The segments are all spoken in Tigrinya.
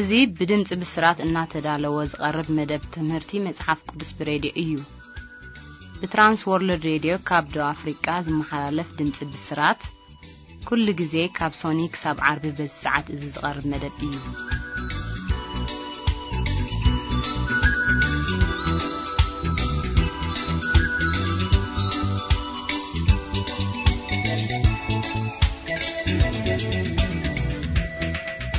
እዚ ብድምጺ ብስራት እናተዳለወ ዝቐርብ መደብ ትምህርቲ መጽሓፍ ቅዱስ ብሬድዮ እዩ። ብትራንስ ወርልድ ሬድዮ ካብ ደቡብ ኣፍሪቃ ዝመሓላለፍ ድምጺ ብስራት፣ ኩሉ ግዜ ካብ ሶኒ ክሳብ ዓርቢ በዚ ሰዓት እዚ ዝቐርብ መደብ እዩ።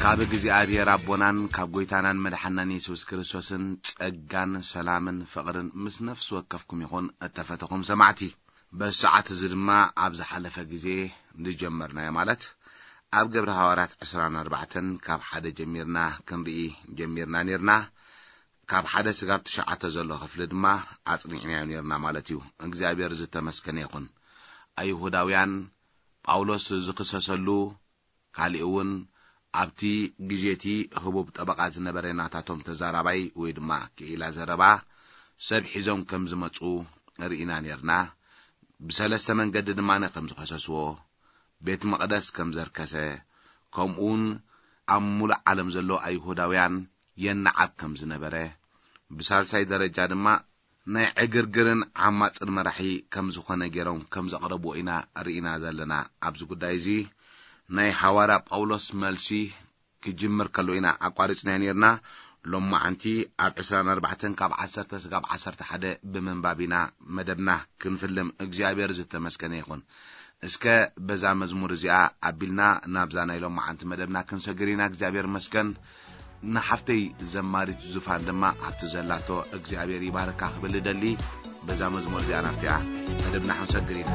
ካብ እግዚኣብሔር ኣቦናን ካብ ጐይታናን መድሓናን የሱስ ክርስቶስን ጸጋን ሰላምን ፍቕርን ምስ ነፍሲ ወከፍኩም ይኹን፣ እተፈተኹም ሰማዕቲ። በዚ ሰዓት እዚ ድማ ኣብ ዝሓለፈ ግዜ ዝጀመርናዮ፣ ማለት ኣብ ግብረ ሃዋርያት ዕስራን ኣርባዕተን ካብ ሓደ ጀሚርና ክንርኢ ጀሚርና ኔርና። ካብ ሓደ ስጋብ ትሽዓተ ዘሎ ክፍሊ ድማ ኣጽኒዕናዮ ኔርና ማለት እዩ። እግዚኣብሔር ዝተመስገነ ይኹን። ኣይሁዳውያን ጳውሎስ ዝኽሰሰሉ፣ ካሊእ እውን ኣብቲ ግዜ እቲ ህቡብ ጠበቓ ዝነበረ ናታቶም ተዛራባይ ወይ ድማ ክኢላ ዘረባ ሰብ ሒዞም ከም ዝመጹ ርኢና ኔርና። ብሰለስተ መንገዲ ድማ ከም ዝኸሰስዎ፣ ቤት መቕደስ ከም ዘርከሰ፣ ከምኡውን ኣብ ሙሉእ ዓለም ዘሎ ኣይሁዳውያን የነዓብ ከም ዝነበረ፣ ብሳልሳይ ደረጃ ድማ ናይ ዕግርግርን ዓማጽን መራሒ ከም ዝኾነ ገይሮም ከም ዘቕረብዎ ኢና ርኢና ዘለና። ኣብዚ ጉዳይ እዚ ናይ ሓዋርያ ጳውሎስ መልሲ ክጅምር ከሎ ኢና ኣቋሪጽናዮ ኔርና። ሎማዓንቲ ኣብ ዕስራን ኣርባዕተን ካብ ዓሰርተ ስጋብ ዓሰርተ ሓደ ብምንባብ ኢና መደብና ክንፍልም። እግዚኣብሔር ዝተመስገነ ይኹን። እስከ በዛ መዝሙር እዚኣ ኣቢልና ናብዛ ናይ ሎማዓንቲ መደብና ክንሰግር ኢና። እግዚኣብሔር መስገን። ንሓፍተይ ዘማሪት ዙፋን ድማ ኣብቲ ዘላቶ እግዚኣብሔር ይባርካ ክብል እደሊ። በዛ መዝሙር እዚኣ ናብቲኣ መደብና ክንሰግር ኢና።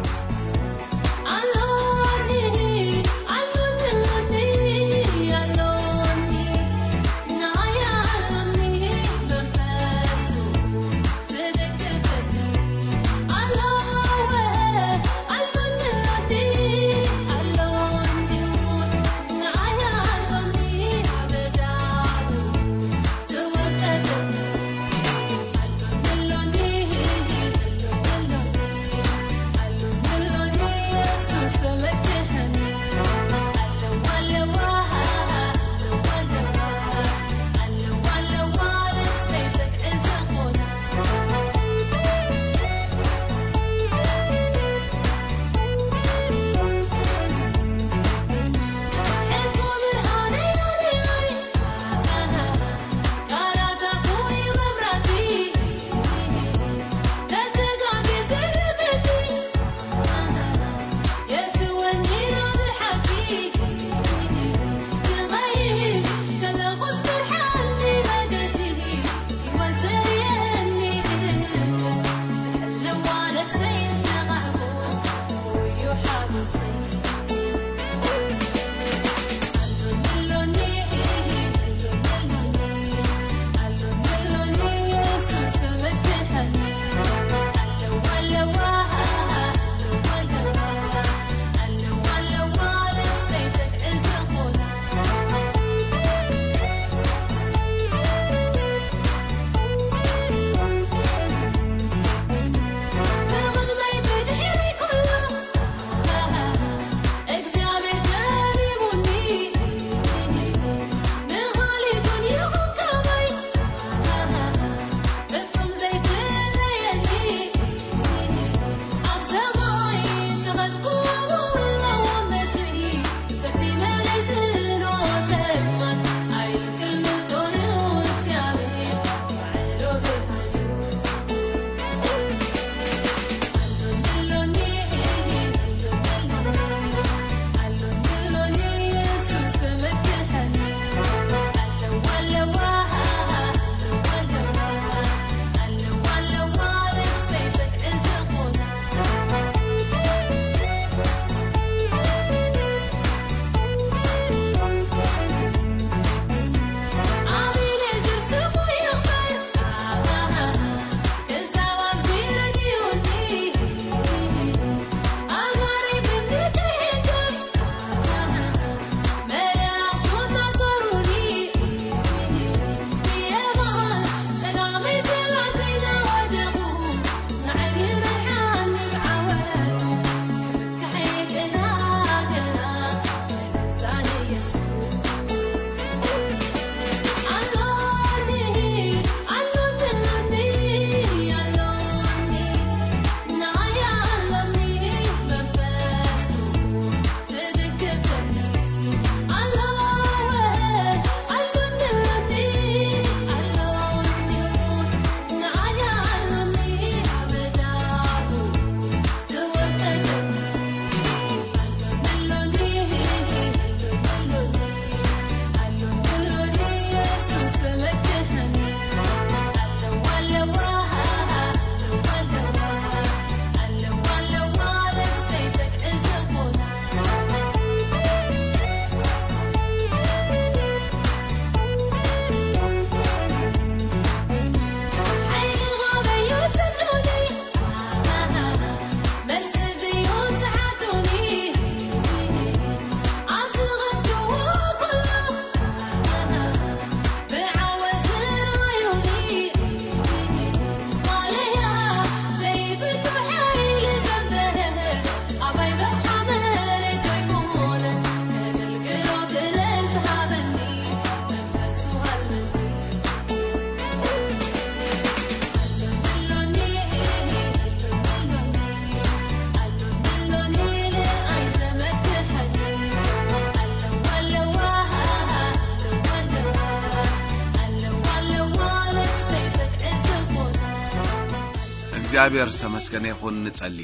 እግዚኣብሔር ዝተመስገነ ይኹን። ንጸሊ።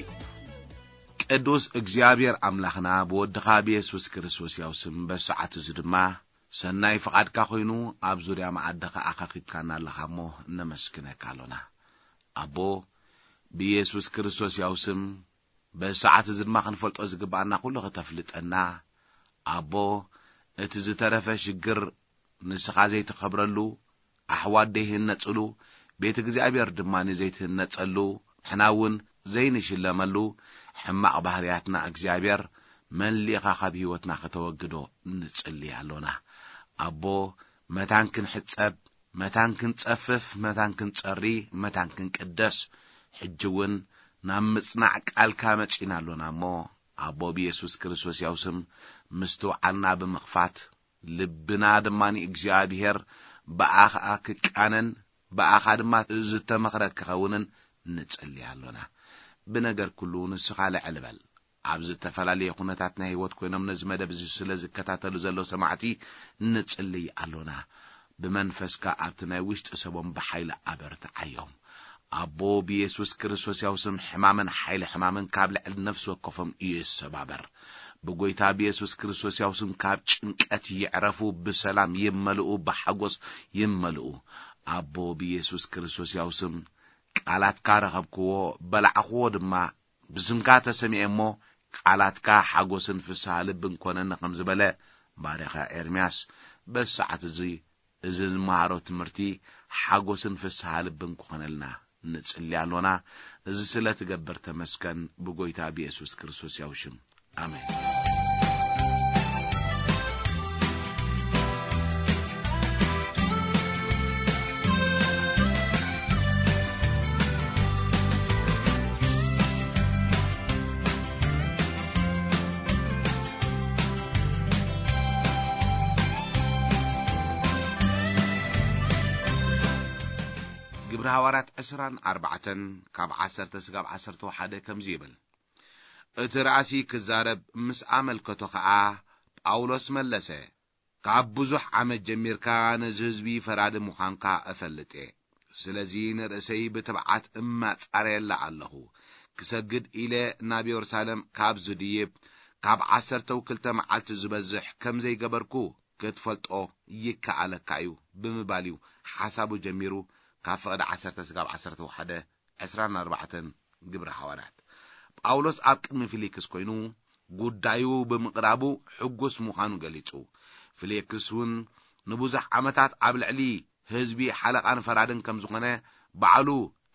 ቅዱስ እግዚኣብሔር ኣምላኽና፣ ብወድኻ ብየሱስ ክርስቶስ ያው ስም፣ በሰዓት እዚ ድማ ሰናይ ፍቓድካ ኮይኑ ኣብ ዙርያ መኣድኻ ኣኻኺብካና ኣለኻ እሞ ነመስግነካ ኣሎና። ኣቦ፣ ብየሱስ ክርስቶስ ያው ስም፣ በሰዓት እዚ ድማ ክንፈልጦ ዝግብኣና ኩሉ ከተፍልጠና፣ ኣቦ፣ እቲ ዝተረፈ ሽግር ንስኻ ዘይትኸብረሉ፣ ኣሕዋት ዘይህነጽሉ፣ ቤት እግዚኣብሔር ድማ ዘይትህነጸሉ፣ ንሕና እውን ዘይንሽለመሉ ሕማቕ ባህርያትና እግዚኣብሔር መሊእኻ ካብ ህይወትና ከተወግዶ ንጽሊ ኣሎና። ኣቦ፣ መታን ክንሕጸብ፣ መታን ክንጸፍፍ፣ መታን ክንጸሪ፣ መታን ክንቅደስ፣ ሕጂ እውን ናብ ምጽናዕ ቃልካ መጺና ኣሎና እሞ፣ ኣቦ ብየሱስ ክርስቶስ ያው ስም ምስትውዓልና ብምኽፋት፣ ልብና ድማ ንእግዚኣብሔር ብኣኻ ክቃነን፣ ብኣኻ ድማ ዝተመኽረ ክኸውንን ንጽሊ ኣሎና። ብነገር ኩሉ ንስኻ ልዕል በል። ኣብ ዝተፈላለየ ኩነታት ናይ ህይወት ኮይኖም ነዚ መደብ እዚ ስለ ዝከታተሉ ዘለዉ ሰማዕቲ ንጽልይ ኣሎና። ብመንፈስካ ኣብቲ ናይ ውሽጢ ሰቦም ብሓይሊ ኣበርትዓዮም። ኣቦ ብየሱስ ክርስቶስ ያው ስም ሕማምን ሓይሊ ሕማምን ካብ ልዕሊ ነፍሲ ወከፎም ይሰባበር። ብጎይታ ብየሱስ ክርስቶስ ያው ስም ካብ ጭንቀት ይዕረፉ፣ ብሰላም ይመልኡ፣ ብሓጎስ ይመልኡ። ኣቦ ብየሱስ ክርስቶስ ያው ስም ቃላትካ ረኸብክዎ፣ በላዕኽዎ ድማ፣ ብስምካ ተሰሚዐ እሞ፣ ቃላትካ ሓጎስን ፍስሃ ልብን ኮነኒ ከም ዝበለ ባርያኻ ኤርምያስ፣ በዚ ሰዓት እዚ፣ እዚ ንመሃሮ ትምህርቲ ሓጎስን ፍስሃ ልብን ክኾነልና ንጽሊ ኣሎና። እዚ ስለ ትገብር ተመስገን፣ ብጎይታ ብየሱስ ክርስቶስ ያው ሽም። ኣሜን። ግብሪ ሃዋርያት ዕስራን ኣርባዕተን ካብ ዓሰርተ ስጋብ ዓሰርተ ሓደ ከምዚ ይብል። እቲ ራእሲ ክዛረብ ምስ ኣመልከቶ ኸኣ፣ ጳውሎስ መለሰ፣ ካብ ብዙሕ ዓመት ጀሚርካ ነዚ ህዝቢ ፈራዲ ምዃንካ እፈልጥ እየ። ስለዚ ንርእሰይ ብትብዓት እማጻረየላ ኣለኹ። ክሰግድ ኢለ ናብ የሩሳሌም ካብ ዝድይብ፣ ካብ ዓሰርተው ክልተ መዓልቲ ዝበዝሕ ከም ዘይገበርኩ ክትፈልጦ ይከኣለካ እዩ ብምባል እዩ ሓሳቡ ጀሚሩ። ካብ ፍቕዲ ዓሰርተ ስጋብ ዓሰርተ ሓደ ዕስራን ኣርባዕተን ግብሪ ሃዋርያት። ጳውሎስ ኣብ ቅድሚ ፊሊክስ ኮይኑ ጉዳዩ ብምቕራቡ ሕጉስ ምዃኑ ገሊጹ። ፊሊክስ እውን ንብዙሕ ዓመታት ኣብ ልዕሊ ህዝቢ ሓለቓን ፈራድን ከም ዝኾነ፣ ባዕሉ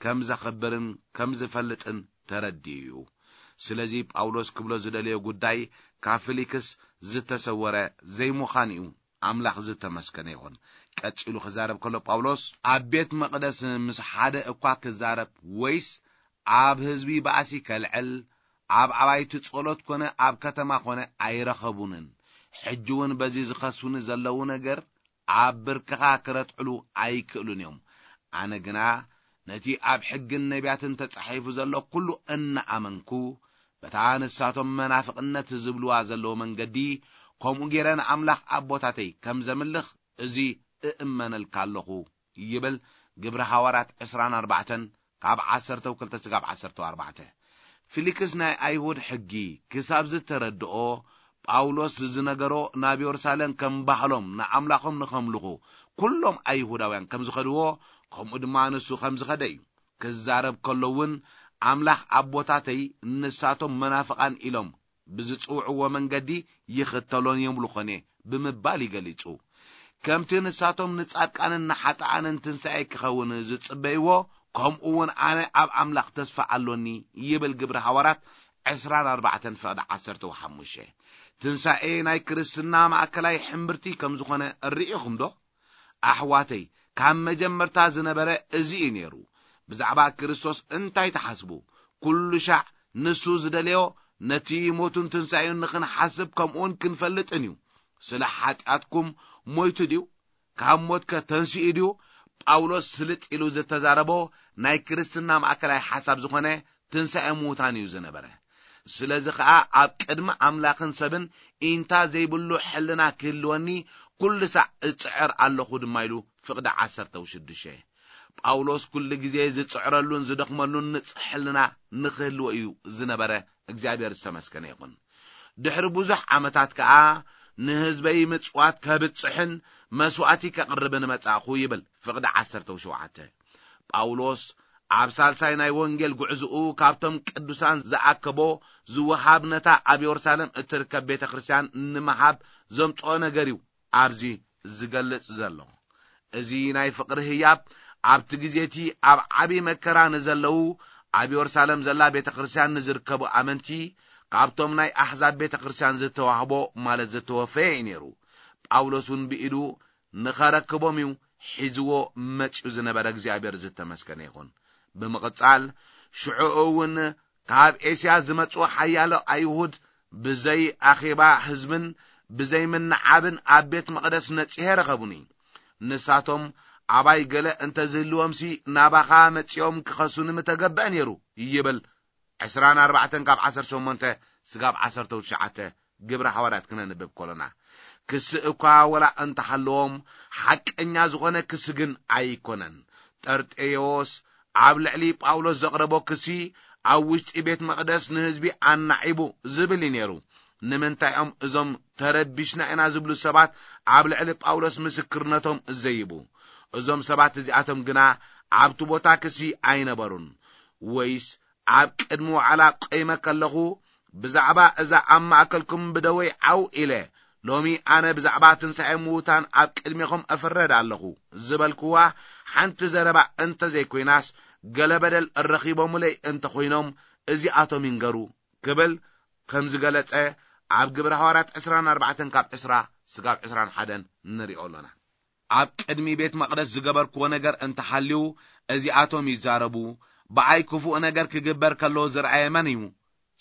ከም ዘኽብርን ከም ዝፈልጥን ተረዲኡ እዩ። ስለዚ ጳውሎስ ክብሎ ዝደለዮ ጉዳይ ካብ ፊሊክስ ዝተሰወረ ዘይምዃኑ እዩ። ኣምላኽ ዝተመስገነ ይኹን። ቀጺሉ ክዛረብ ከሎ ጳውሎስ፣ ኣብ ቤት መቕደስ ምስ ሓደ እኳ ክዛረብ ወይስ ኣብ ህዝቢ ባእሲ ከልዕል፣ ኣብ ኣባይቲ ጸሎት ኮነ ኣብ ከተማ ኮነ ኣይረኸቡንን። ሕጂ እውን በዚ ዝኸሱኒ ዘለዉ ነገር ኣብ ብርክኻ ክረትዕሉ ኣይክእሉን እዮም። ኣነ ግና ነቲ ኣብ ሕግን ነቢያትን ተጻሒፉ ዘሎ ኩሉ እናኣመንኩ፣ በታ ንሳቶም መናፍቕነት ዝብልዋ ዘለዉ መንገዲ፣ ከምኡ ገይረ ንኣምላኽ ኣቦታተይ ከም ዘምልኽ እዚ እእመነልካ ኣለኹ ይብል። ግብሪ ሃዋርያት ዕስራን ኣርባዕተን ካብ ዓሰርተ ክልተ ስጋብ ዓሰርተ ኣርባዕተ። ፊሊክስ ናይ ኣይሁድ ሕጊ ክሳብ ዝተረድኦ፣ ጳውሎስ ዝነገሮ ናብ የሩሳሌም ከም ባህሎም ንኣምላኾም ንኸምልኹ ኩሎም ኣይሁዳውያን ከም ዝኸድዎ፣ ከምኡ ድማ ንሱ ከም ዝኸደ እዩ። ክዛረብ ከሎ እውን፣ ኣምላኽ ኣቦታተይ ንሳቶም መናፍቓን ኢሎም ብዝጽውዕዎ መንገዲ ይኽተሎን የምልኾን እየ ብምባል ይገሊጹ። ከምቲ ንሳቶም ንጻድቃንን ንሓጥኣንን ትንሳኤ ክኸውን ዝጽበይዎ፣ ከምኡ እውን ኣነ ኣብ ኣምላኽ ተስፋ ኣሎኒ ይብል ግብሪ ሃዋርያት ዕስራን ኣርባዕተን ፍቕዲ ዓሰርተ ወሓሙሽተ። ትንሳኤ ናይ ክርስትና ማእከላይ ሕምብርቲ ከም ዝኾነ ርኢኹም ዶ? ኣሕዋተይ፣ ካብ መጀመርታ ዝነበረ እዚ እዩ ነይሩ። ብዛዕባ ክርስቶስ እንታይ ትሓስቡ? ኩሉ ሻዕ ንሱ ዝደለዮ ነቲ ሞቱን ትንሳኤኡን ንኽንሓስብ ከምኡውን ክንፈልጥን እዩ። ስለ ሓጢኣትኩም ሞይቱ ድዩ? ካብ ሞትከ ተንሲኡ ድዩ? ጳውሎስ ስልጥ ኢሉ ዝተዛረቦ ናይ ክርስትና ማእከላይ ሓሳብ ዝኾነ ትንሳኤ ምዉታን እዩ ዝነበረ። ስለዚ ኸኣ ኣብ ቅድሚ ኣምላኽን ሰብን ኢንታ ዘይብሉ ሕልና ክህልወኒ ኩሉ ሳዕ እጽዕር ኣለኹ ድማ ኢሉ ፍቕዲ ዓሰርተ ሽዱሽተ። ጳውሎስ ኩሉ ግዜ ዝጽዕረሉን ዝደኽመሉን ንጽሕልና ንኽህልዎ እዩ ዝነበረ። እግዚኣብሔር ዝተመስገነ ይኹን። ድሕሪ ብዙሕ ዓመታት ከኣ ንህዝበይ ምጽዋት ከብጽሕን መስዋእቲ ከቕርብን መጻእኹ ይብል። ፍቕዲ ዓሰርተ ሸውዓተ። ጳውሎስ ኣብ ሳልሳይ ናይ ወንጌል ጉዕዝኡ ካብቶም ቅዱሳን ዝኣከቦ ዝወሃብ ነታ ኣብ የሩሳሌም እትርከብ ቤተ ክርስቲያን ንምሃብ ዘምጽኦ ነገር እዩ ኣብዚ ዝገልጽ ዘሎ። እዚ ናይ ፍቕሪ ህያብ ኣብቲ ግዜ እቲ ኣብ ዓቢ መከራ ንዘለዉ ኣብ የሩሳሌም ዘላ ቤተ ክርስቲያን ንዝርከቡ ኣመንቲ ካብቶም ናይ ኣሕዛብ ቤተ ክርስቲያን ዝተዋህቦ ማለት ዝተወፈየ እዩ ነይሩ። ጳውሎስ እውን ብኢዱ ንኸረክቦም እዩ ሒዝዎ መጺኡ ዝነበረ። እግዚኣብሔር ዝተመስገነ ይኹን። ብምቕጻል ሽዑ እውን ካብ ኤስያ ዝመጹ ሓያሎ ኣይሁድ ብዘይ ኣኼባ ህዝብን ብዘይ ምንዓብን ኣብ ቤት መቕደስ ነጺሄ ረኸቡኒ። ንሳቶም ኣባይ ገለ እንተዝህልዎምሲ ናባኻ መጺኦም ክኸሱኒ ምተገብአ ነይሩ ይብል። ዕስራን ኣርባዕተን ካብ ዓሰርተ ሸሞንተ ስጋብ ዓሰርተ ትሽዓተ ግብሪ ሃዋርያት ክነንብብ ከሎና፣ ክሲ እኳ ወላ እንተሃለዎም ሓቀኛ ዝኾነ ክሲ ግን ኣይኮነን። ጠርጤዎስ ኣብ ልዕሊ ጳውሎስ ዘቕረቦ ክሲ ኣብ ውሽጢ ቤት መቕደስ ንህዝቢ ኣናዒቡ ዝብል እዩ ነይሩ። ንምንታይ እዮም እዞም ተረቢሽና ኢና ዝብሉ ሰባት ኣብ ልዕሊ ጳውሎስ ምስክርነቶም ዘይቡ? እዞም ሰባት እዚኣቶም ግና ኣብቲ ቦታ ክሲ ኣይነበሩን። ወይስ ኣብ ቅድሚ ዋዕላ ቆይመ ከለኹ ብዛዕባ እዛ ኣብ ማእከልኩም ብደወይ ዓው ኢለ፣ ሎሚ ኣነ ብዛዕባ ትንሳኤ ምዉታን ኣብ ቅድሜኹም እፍረድ ኣለኹ ዝበልክዋ ሓንቲ ዘረባ እንተ ዘይኮይናስ፣ ገለ በደል ረኺቦምለይ እንተ ኾይኖም እዚኣቶም ይንገሩ ክብል ከም ዝገለጸ ኣብ ግብረ ሃዋርያት ዕስራን ኣርባዕተን ካብ ዕስራ ስጋብ ዕስራን ሓደን ንሪኦ ኣሎና። ኣብ ቅድሚ ቤት መቕደስ ዝገበርክዎ ነገር እንተሃልዩ፣ እዚኣቶም ይዛረቡ። ብኣይ ክፉእ ነገር ክግበር ከሎ ዝረኣየ መን እዩ?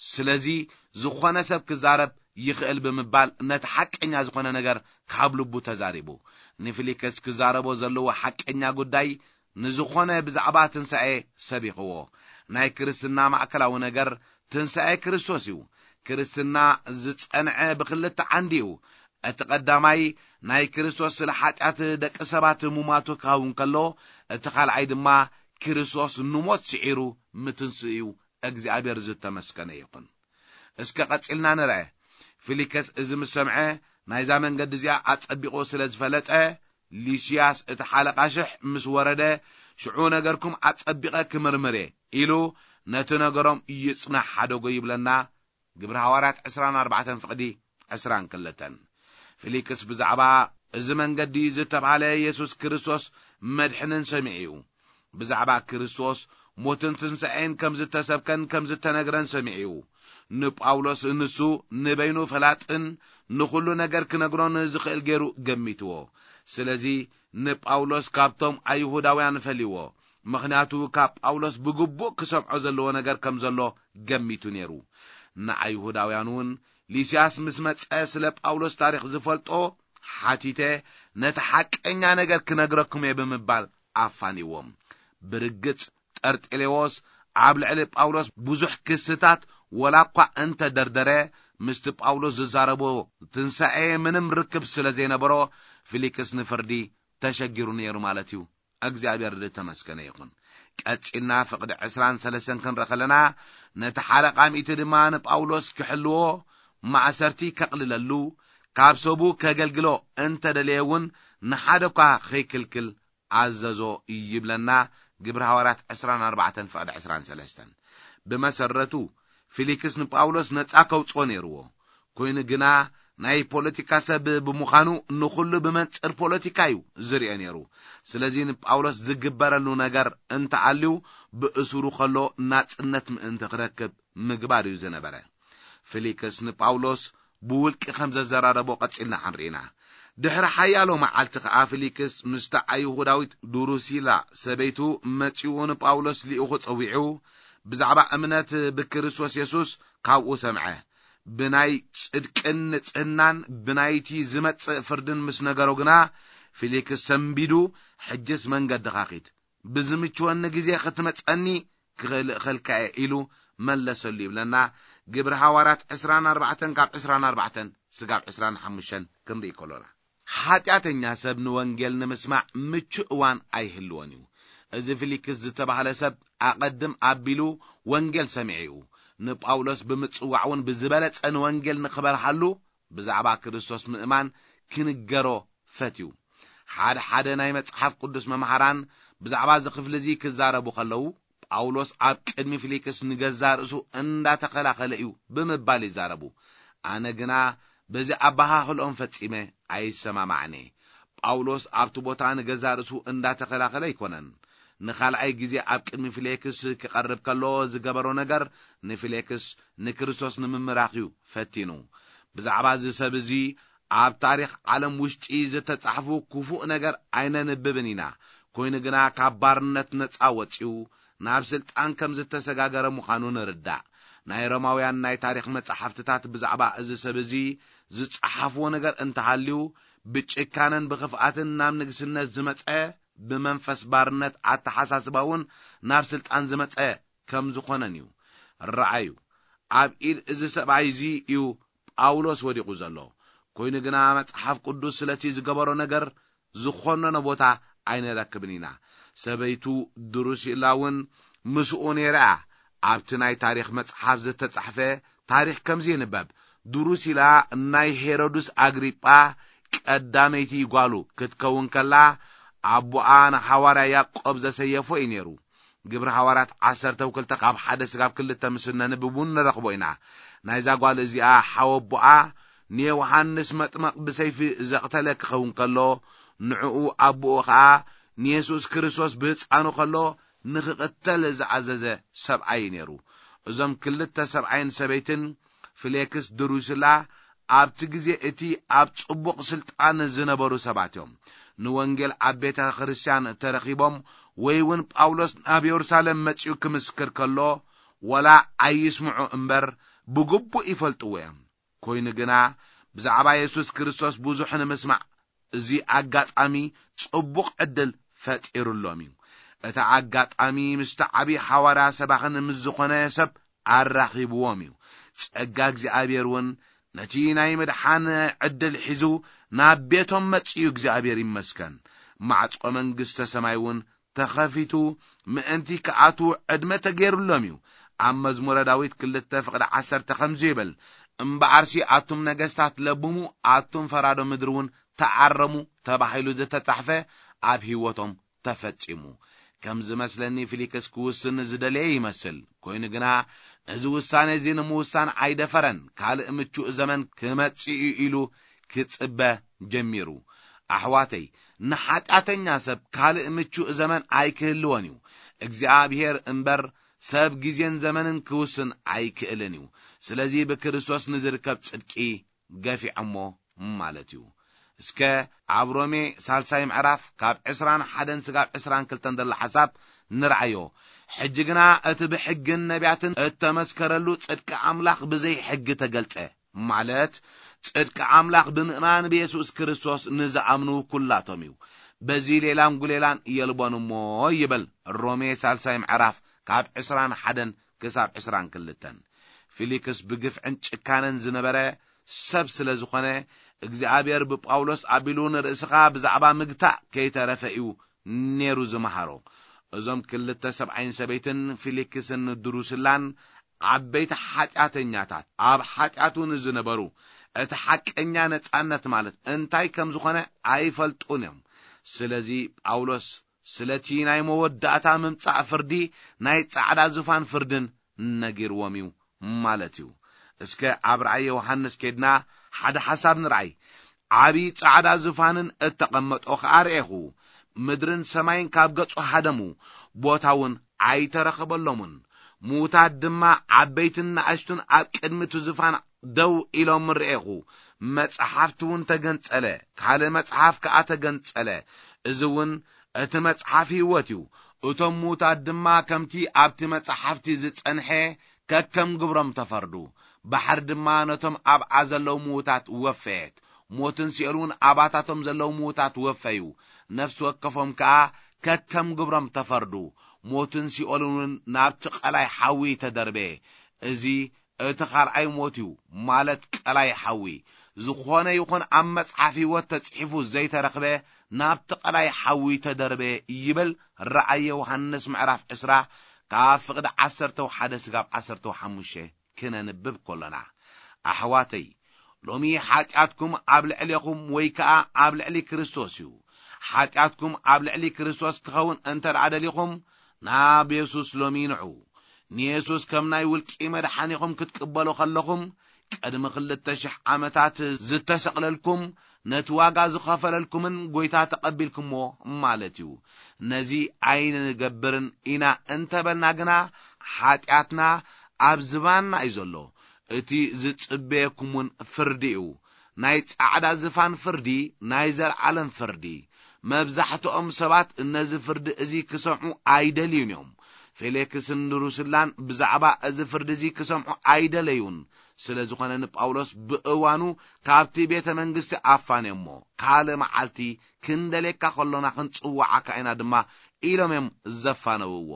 ስለዚ ዝኾነ ሰብ ክዛረብ ይኽእል ብምባል ነቲ ሓቀኛ ዝኾነ ነገር ካብ ልቡ ተዛሪቡ። ንፊሊክስ ክዛረቦ ዘለዎ ሓቀኛ ጉዳይ ንዝኾነ ብዛዕባ ትንሳኤ ሰቢኽዎ። ናይ ክርስትና ማእከላዊ ነገር ትንሳኤ ክርስቶስ እዩ። ክርስትና ዝጸንዐ ብኽልተ ዓንዲ እዩ። እቲ ቀዳማይ ናይ ክርስቶስ ስለ ሓጢኣት ደቂ ሰባት ሙማቱ ክኸውን ከሎ፣ እቲ ካልኣይ ድማ ክርስቶስ ንሞት ስዒሩ ምትንስኡ እዩ። እግዚኣብሔር ዝተመስገነ ይኹን። እስከ ቀጺልና ንርአ። ፊሊከስ እዚ ምስ ሰምዐ፣ ናይዛ መንገዲ እዚኣ ኣጸቢቑ ስለ ዝፈለጠ፣ ሊስያስ እቲ ሓለቓ ሽሕ ምስ ወረደ፣ ሽዑ ነገርኩም ኣጸቢቐ ክምርምር እየ ኢሉ ነቲ ነገሮም ይጽናሕ ሓደጎ ይብለና። ግብሪ ሃዋርያት ዕስራን ኣርባዕተን ፍቕዲ ዕስራን ክልተን። ፊሊክስ ብዛዕባ እዚ መንገዲ ዝተባህለ የሱስ ክርስቶስ መድሕንን ሰሚዑ እዩ። ብዛዕባ ክርስቶስ ሞትን ትንሳኤን ከም ዝተሰብከን ከም ዝተነግረን ሰሚዑ እዩ። ንጳውሎስ ንሱ ንበይኑ ፈላጥን ንኹሉ ነገር ክነግሮን ዝኽእል ገይሩ ገሚትዎ። ስለዚ ንጳውሎስ ካብቶም ኣይሁዳውያን ፈልይዎ። ምኽንያቱ ካብ ጳውሎስ ብግቡእ ክሰምዖ ዘለዎ ነገር ከም ዘሎ ገሚቱ ነይሩ። ንኣይሁዳውያን እውን ሊስያስ ምስ መጸ ስለ ጳውሎስ ታሪኽ ዝፈልጦ ሓቲተ፣ ነቲ ሓቀኛ ነገር ክነግረኩም እየ ብምባል ኣፋንዎም። ብርግጽ ጠርጤሌዎስ ኣብ ልዕሊ ጳውሎስ ብዙሕ ክስታት ወላ እኳ እንተደርደረ፣ ምስቲ ጳውሎስ ዝዛረቦ ትንሳኤ ምንም ርክብ ስለ ዘይነበሮ፣ ፊሊክስ ንፍርዲ ተሸጊሩ ነይሩ ማለት እዩ። እግዚኣብሔር ዝተመስገነ ይኹን። ቀጺልና ፍቕዲ ዕስራን ሰለስተን ክንርኢ ከለና፣ ነቲ ሓለቓ ሚእቲ ድማ ንጳውሎስ ክሕልዎ፣ ማእሰርቲ ከቕልለሉ፣ ካብ ሰቡ ከገልግሎ እንተደለየ እውን ንሓደ እኳ ከይክልክል ኣዘዞ ይብለና። ግብሪ ሃዋርያት ዕስራን ኣርባዕተን ፍቕዲ ዕስራን ሰለስተን። ብመሰረቱ ፊሊክስ ንጳውሎስ ነጻ ከውጽኦ ነይርዎ። ኮይኑ ግና ናይ ፖለቲካ ሰብ ብምዃኑ ንኹሉ ብመንጽር ፖለቲካ እዩ ዝርኦ ነይሩ። ስለዚ ንጳውሎስ ዝግበረሉ ነገር እንተኣልዩ ብእሱሩ ከሎ ናጽነት ምእንቲ ክረክብ ምግባር እዩ ዝነበረ። ፊሊክስ ንጳውሎስ ብውልቂ ከም ዘዘራረቦ ቀጺልና ክንርኢና። ድሕሪ ሓያሎ መዓልቲ ከኣ ፊሊክስ ምስታ ኣይሁዳዊት ድሩሲላ ሰበይቱ መጺኡ ንጳውሎስ ልኢኹ ጸዊዑ ብዛዕባ እምነት ብክርስቶስ የሱስ ካብኡ ሰምዐ። ብናይ ጽድቅን ንጽህናን ብናይቲ ዝመጽእ ፍርድን ምስ ነገሮ ግና፣ ፊሊክስ ሰንቢዱ፣ "ሕጅስ መንገድኻ ኺድ፣ ብዝምችወኒ ግዜ ኽትመጸኒ ክኽእል እኽልካ እየ" ኢሉ መለሰሉ ይብለና። ግብሪ ሃዋርያት ዕስራን ኣርባዕተን ካብ ዕስራን ኣርባዕተን ስጋብ ዕስራን ሓሙሽተን ክንርኢ ከሎና። ሓጢኣተኛ ሰብ ንወንጌል ንምስማዕ ምቹእ እዋን ኣይህልዎን እዩ። እዚ ፊሊክስ ዝተባህለ ሰብ ኣቐድም ኣቢሉ ወንጌል ሰሚዑ እዩ። ንጳውሎስ ብምጽዋዕ እውን ብዝበለጸ ንወንጌል ንኽበርሃሉ ብዛዕባ ክርስቶስ ምእማን ክንገሮ ፈትዩ። ሓደ ሓደ ናይ መጽሓፍ ቅዱስ መምሃራን ብዛዕባ እዚ ክፍሊ እዚ ክዛረቡ ከለዉ፣ ጳውሎስ ኣብ ቅድሚ ፊሊክስ ንገዛ ርእሱ እንዳተኸላኸለ እዩ ብምባል ይዛረቡ። ኣነ ግና በዚ ኣበሃህልኦም ፈጺመ ኣይሰማማዕን እየ። ጳውሎስ ኣብቲ ቦታ ንገዛ ርእሱ እንዳተኸላኸለ ኣይኮነን። ንኻልኣይ ግዜ ኣብ ቅድሚ ፊሌክስ ክቐርብ ከሎ ዝገበሮ ነገር ንፊሌክስ ንክርስቶስ ንምምራኽ እዩ ፈቲኑ። ብዛዕባ እዚ ሰብ እዚ ኣብ ታሪኽ ዓለም ውሽጢ ዝተጻሕፉ ክፉእ ነገር ኣይነንብብን ኢና። ኮይኑ ግና ካብ ባርነት ነጻ ወጺኡ ናብ ስልጣን ከም ዝተሰጋገረ ምዃኑ ንርዳእ። ናይ ሮማውያን ናይ ታሪኽ መጻሕፍትታት ብዛዕባ እዚ ሰብ እዚ ዝጸሓፍዎ ነገር እንተሃልዩ፣ ብጭካነን ብኽፍኣትን ናብ ንግስነት ዝመጸ፣ ብመንፈስ ባርነት ኣተሓሳስባ እውን ናብ ስልጣን ዝመጸ ከም ዝኾነን እዩ። ረኣዩ፣ ኣብ ኢድ እዚ ሰብኣይ እዚ እዩ ጳውሎስ ወዲቑ ዘሎ። ኮይኑ ግና መጽሓፍ ቅዱስ ስለቲ ዝገበሮ ነገር ዝኾነኖ ቦታ ኣይንረክብን ኢና። ሰበይቱ ድሩሲላ እውን ምስኡ ነይራ እያ። ኣብቲ ናይ ታሪኽ መጽሓፍ ዝተጻሕፈ ታሪኽ ከምዚ ይንበብ። ድሩሲላ ናይ ሄሮድስ ኣግሪጳ ቀዳመይቲ ጓሉ ክትከውን ከላ፣ ኣቦኣ ንሓዋርያ ያዕቆብ ዘሰየፎ እዩ ነይሩ። ግብሪ ሃዋርያት ዓሰርተ ክልተ ካብ ሓደ ስጋብ ክልተ ምስ እነንብብ እውን ንረኽቦ ኢና። ናይዛ ጓል እዚኣ ሓወቦኣ ንዮሃንስ መጥመቕ ብሰይፊ ዘቕተለ ክኸውን ከሎ፣ ንዕኡ ኣቦኡ ኸኣ ንየሱስ ክርስቶስ ብህፃኑ ከሎ ንኽቕተል ዝኣዘዘ ሰብኣይ እዩ ነይሩ። እዞም ክልተ ሰብኣይን ሰበይትን ፍሌክስ ድሩስላ ኣብቲ ግዜ እቲ ኣብ ጽቡቕ ስልጣን ዝነበሩ ሰባት እዮም። ንወንጌል ኣብ ቤተ ክርስቲያን ተረኺቦም ወይ እውን ጳውሎስ ናብ የሩሳሌም መጺኡ ክምስክር ከሎ፣ ወላ ኣይስምዑ እምበር ብግቡእ ይፈልጥዎ እዮም። ኮይኑ ግና ብዛዕባ የሱስ ክርስቶስ ብዙሕ ንምስማዕ እዚ ኣጋጣሚ ጽቡቕ ዕድል ፈጢሩሎም እዩ። እቲ ኣጋጣሚ ምስቲ ዓብዪ ሓዋርያ ሰባኽን ምስ ዝኾነ ሰብ ኣራኺብዎም እዩ። ጸጋ እግዚኣብሔር እውን ነቲ ናይ ምድሓን ዕድል ሒዙ ናብ ቤቶም መጺኡ፣ እግዚኣብሔር ይመስገን። ማዕጾ መንግስተ ሰማይ እውን ተኸፊቱ ምእንቲ ክኣትዉ ዕድመ ተገይሩሎም እዩ። ኣብ መዝሙረ ዳዊት ክልተ ፍቕዲ ዓሰርተ ከምዚ ይብል፣ እምበኣርሲ ኣቱም ነገስታት ለብሙ፣ ኣቱም ፈራዶ ምድሪ እውን ተኣረሙ ተባሂሉ ዝተጻሕፈ ኣብ ህይወቶም ተፈጺሙ። ከም ዝመስለኒ ፊሊክስ ክውስን ዝደለየ ይመስል። ኮይኑ ግና ነዚ ውሳኔ እዚ ንምውሳን ኣይደፈረን። ካልእ ምቹእ ዘመን ክመጽእ እዩ ኢሉ ክጽበ ጀሚሩ። ኣሕዋተይ፣ ንሓጢኣተኛ ሰብ ካልእ ምቹእ ዘመን ኣይክህልዎን እዩ። እግዚኣብሔር እምበር ሰብ ግዜን ዘመንን ክውስን ኣይክእልን እዩ። ስለዚ ብክርስቶስ ንዝርከብ ጽድቂ ገፊዖሞ ማለት እዩ። እስከ ኣብ ሮሜ ሳልሳይ ምዕራፍ ካብ ዕስራን ሓደን ስጋብ ዕስራን ክልተን ዘሎ ሓሳብ ንርኣዮ። ሕጂ ግና እቲ ብሕግን ነቢያትን እተመስከረሉ ጽድቂ ኣምላኽ ብዘይ ሕጊ ተገልጸ፣ ማለት ጽድቂ ኣምላኽ ብምእማን ብየሱስ ክርስቶስ ንዝኣምኑ ኩላቶም እዩ። በዚ ሌላን ጉሌላን የልቦን እሞ ይብል ሮሜ ሳልሳይ ምዕራፍ ካብ ዕስራን ሓደን ክሳብ ዕስራን ክልተን። ፊሊክስ ብግፍዕን ጭካነን ዝነበረ ሰብ ስለ ዝኾነ፣ እግዚኣብሔር ብጳውሎስ ኣቢሉ ንርእስኻ ብዛዕባ ምግታእ ከይተረፈ እዩ ነይሩ ዝመሃሮ። እዞም ክልተ ሰብኣይን ሰበይትን ፊሊክስን ድሩስላን ዓበይቲ ሓጢኣተኛታት፣ ኣብ ሓጢኣቱ ንዝነበሩ እቲ ሓቀኛ ነጻነት ማለት እንታይ ከም ዝኾነ ኣይፈልጡን እዮም። ስለዚ ጳውሎስ ስለቲ ናይ መወዳእታ ምምጻእ ፍርዲ ናይ ጻዕዳ ዙፋን ፍርድን ነጊርዎም እዩ ማለት እዩ። እስከ ኣብ ራእይ ዮሃንስ ኬድና ሓደ ሓሳብ ንርኣይ። ዓብዪ ጻዕዳ ዙፋንን እተቐመጦ ኸኣ ርኤኹ። ምድርን ሰማይን ካብ ገጹ ሃደሙ፣ ቦታ እውን ኣይተረኸበሎምን። ምዉታት ድማ ዓበይትን ንኣሽቱን ኣብ ቅድሚ እቲ ዙፋን ደው ኢሎም ርኤኹ። መጽሓፍቲ እውን ተገንጸለ፣ ካልእ መጽሓፍ ከኣ ተገንጸለ። እዚ እውን እቲ መጽሓፍ ህይወት እዩ። እቶም ምዉታት ድማ ከምቲ ኣብቲ መጽሓፍቲ ዝጸንሐ ከከም ግብሮም ተፈርዱ። ባሕሪ ድማ ነቶም ኣብኣ ዘለዉ ምዉታት ወፈየት። ሞትን ሲኦል እውን ኣባታቶም ዘለዉ ምዉታት ወፈዩ። ነፍሲ ወከፎም ከኣ ከከም ግብሮም ተፈርዱ። ሞትን ሲኦልን እውን ናብቲ ቀላይ ሓዊ ተደርበየ። እዚ እቲ ካልኣይ ሞት እዩ፣ ማለት ቀላይ ሓዊ። ዝኾነ ይኹን ኣብ መጽሓፍ ህይወት ተጽሒፉ ዘይተረኽበ ናብቲ ቀላይ ሓዊ ተደርበ ይብል ራእየ ዮሃንስ ምዕራፍ ዕስራ ካብ ፍቕዲ ዓሰርተ ሓደ ስጋብ ዓሰርተ ሓሙሽተ ክነንብብ ከሎና። ኣሕዋተይ፣ ሎሚ ሓጢኣትኩም ኣብ ልዕሌኹም ወይ ከኣ ኣብ ልዕሊ ክርስቶስ እዩ። ሓጢኣትኩም ኣብ ልዕሊ ክርስቶስ ክኸውን እንተ ደኣ ደሊኹም፣ ናብ የሱስ ሎሚ ንዑ። ንየሱስ ከም ናይ ውልቂ መድሓኒኹም ክትቅበሉ ከለኹም፣ ቅድሚ ክልተ ሽሕ ዓመታት ዝተሰቕለልኩም፣ ነቲ ዋጋ ዝኸፈለልኩምን ጐይታ ተቐቢልኩምዎ ማለት እዩ። ነዚ ኣይንገብርን ኢና እንተበልና ግና፣ ሓጢኣትና ኣብ ዝባንና እዩ ዘሎ። እቲ ዝጽበየኩም እውን ፍርዲ እዩ። ናይ ጻዕዳ ዝፋን ፍርዲ፣ ናይ ዘለዓለም ፍርዲ። መብዛሕትኦም ሰባት ነዚ ፍርዲ እዚ ክሰምዑ ኣይደልዩን እዮም። ፌሌክስን ድሩስላን ብዛዕባ እዚ ፍርዲ እዚ ክሰምዑ ኣይደለዩን። ስለ ዝኾነ ንጳውሎስ ብእዋኑ ካብቲ ቤተ መንግስቲ ኣፋንዮሞ፣ ካልእ መዓልቲ ክንደልየካ ከሎና ክንጽውዓካ ኢና ድማ ኢሎም እዮም ዘፋነውዎ።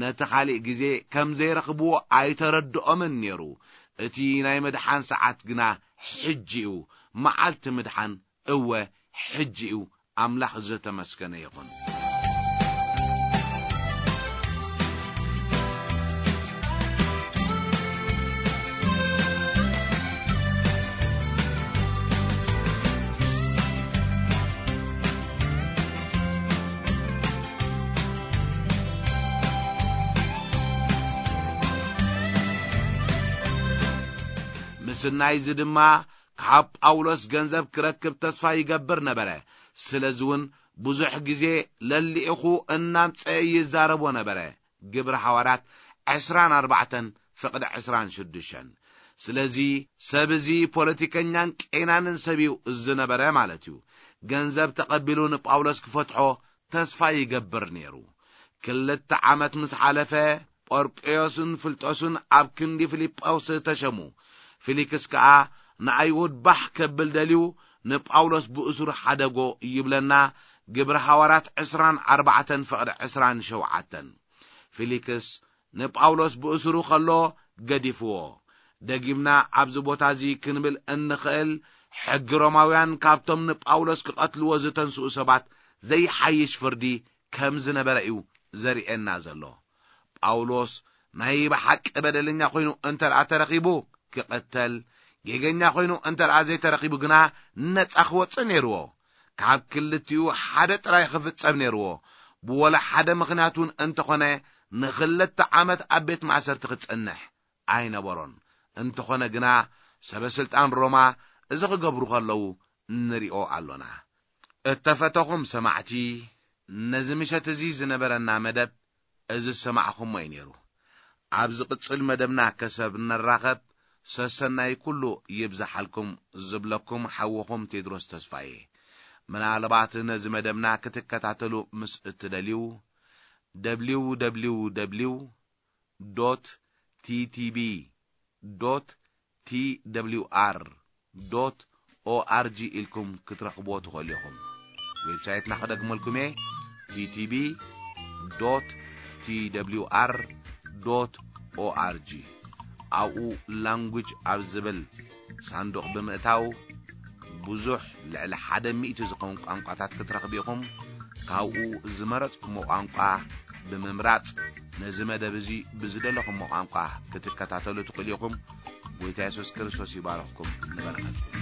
ነቲ ካልእ ግዜ ከም ዘይረኽብዎ ኣይተረድኦምን ነይሩ። እቲ ናይ ምድሓን ሰዓት ግና ሕጂ እዩ። መዓልቲ ምድሓን እወ ሕጂ እዩ። ኣምላኽ ዝተመስገነ ይኹን። ምስናይዚ ድማ ካብ ጳውሎስ ገንዘብ ክረክብ ተስፋ ይገብር ነበረ። ስለዚ እውን ብዙሕ ግዜ ለሊእኹ እናምጸአ ይዛረቦ ነበረ። ግብሪ ሃዋርያት ዕስራን ኣርባዕተን ፍቕዲ ዕስራን ሽዱሽተን። ስለዚ ሰብ እዚ ፖለቲከኛን ቄናንን ሰብ እዩ ዝነበረ ማለት እዩ። ገንዘብ ተቐቢሉ ንጳውሎስ ክፈትሖ ተስፋ ይገብር ነይሩ። ክልተ ዓመት ምስ ሓለፈ፣ ጶርቅዮስን ፍልጦስን ኣብ ክንዲ ፊልጶስ ተሸሙ። ፊሊክስ ከኣ ንኣይሁድ ባህ ከብል ደልዩ ንጳውሎስ ብእሱር ሓደጎ ይብለና ግብሪ ሃዋርያት ዕስራን ኣርባዕተን ፍቕዲ ዕስራን ሸውዓተን። ፊሊክስ ንጳውሎስ ብእሱሩ ከሎ ገዲፍዎ። ደጊምና ኣብዚ ቦታ እዚ ክንብል እንኽእል፣ ሕጊ ሮማውያን ካብቶም ንጳውሎስ ክቐትልዎ ዝተንስኡ ሰባት ዘይሓይሽ ፍርዲ ከም ዝነበረ እዩ ዘርእየና ዘሎ። ጳውሎስ ናይ ብሓቂ በደለኛ ኮይኑ እንተ ደኣ ተረኺቡ ክቐተል፣ ጌገኛ ኮይኑ እንተ ደኣ ዘይተረኺቡ ግና ነጻ ክወጽእ ነይርዎ። ካብ ክልቲኡ ሓደ ጥራይ ክፍጸም ነይርዎ። ብወላ ሓደ ምኽንያት እውን እንተኾነ ንኽልተ ዓመት ኣብ ቤት ማእሰርቲ ክጸንሕ ኣይነበሮን። እንተኾነ ግና ሰበ ስልጣን ሮማ እዚ ክገብሩ ከለዉ ንሪኦ ኣሎና። እተፈተኹም ሰማዕቲ፣ ነዚ ምሸት እዚ ዝነበረና መደብ እዚ ዝሰማዕኹሞ እዩ ነይሩ። ኣብ ዝቕጽል መደብና ከሰብ እንራኸብ፣ ሰሰናይ ኩሉ ይብዝሓልኩም ዝብለኩም ሓውኹም ቴድሮስ ተስፋዬ። ምናልባት ነዚ መደብና ክትከታተሉ ምስ እትደልዩ፣ ደብሊው ደብሊው ደብሊው ዶት ቲ ቲ ቢ ዶት ቲ ደብሊው ኣር ዶት ኦ ኣር ጂ ኢልኩም ክትረኽብዎ ትኽእሉ ኢኹም። ዌብሳይትና ክደግመልኩም እየ፣ ቲ ቲ ቢ ዶት ቲ ደብሊው ኣር ዶት ኦ ኣር ጂ። ኣብኡ ላንጉጅ ኣብ ዝብል ሳንዱቕ ብምእታው ብዙሕ ልዕሊ ሓደ ሚእቲ ዝኸውን ቋንቋታት ክትረኽቡ ኢኹም። ካብኡ ዝመረጽኩሞ ቋንቋ ብምምራጽ ነዚ መደብ እዚ ብዝደለኹሞ ቋንቋ ክትከታተሉ ትኽእሉ ኢኹም። ጎይታ የሱስ ክርስቶስ ይባርኽኩም። ንበረኸትኩም።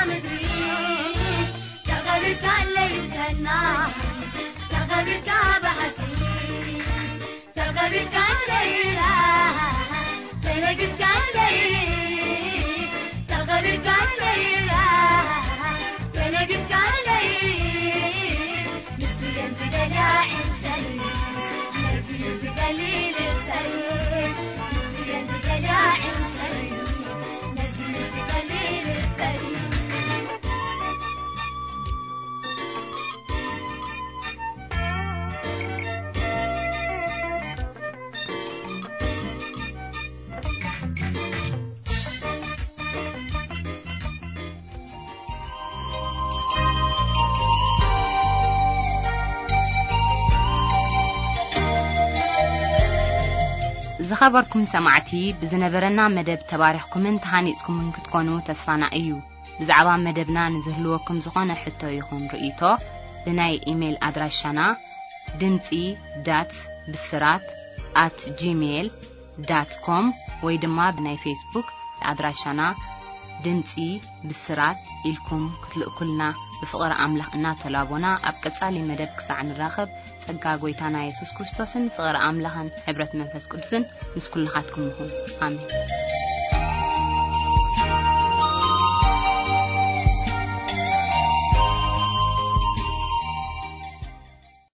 ምድሪ ተቐቢልካ ኣለዩ ሰናይ፣ ተቐቢልካ ብሓቂ፣ ተቐቢልካ ኣለዩ ተነግስካ ኣለዩ፣ ተቐቢልካ ኣለዩ ተነግስካ ኣለዩ። ንሱ የዝገዳ ዕንሰል፣ ነዚ ዝገሊ ልጸል፣ ንሱ የዝገዳ ዕንሰል፣ ነዚ ዝገሊ ልጸል። ዝኸበርኩም ሰማዕቲ፣ ብዝነበረና መደብ ተባሪኽኩምን ተሃኒጽኩምን ክትኮኑ ተስፋና እዩ። ብዛዕባ መደብና ንዝህልወኩም ዝኾነ ሕቶ ይኹን ርእይቶ፣ ብናይ ኢሜይል ኣድራሻና ድምጺ ዳት ብስራት ኣት ጂሜይል ዳት ኮም ወይ ድማ ብናይ ፌስቡክ ኣድራሻና ድምጺ ብስራት ኢልኩም ክትልእኩልና ብፍቕሪ ኣምላኽ እናተላቦና፣ ኣብ ቀጻሊ መደብ ክሳዕ ንራኸብ፣ ጸጋ ጐይታና የሱስ ክርስቶስን ፍቕሪ ኣምላኽን ሕብረት መንፈስ ቅዱስን ምስ ኩልኻትኩም ይኹን። ኣሜን።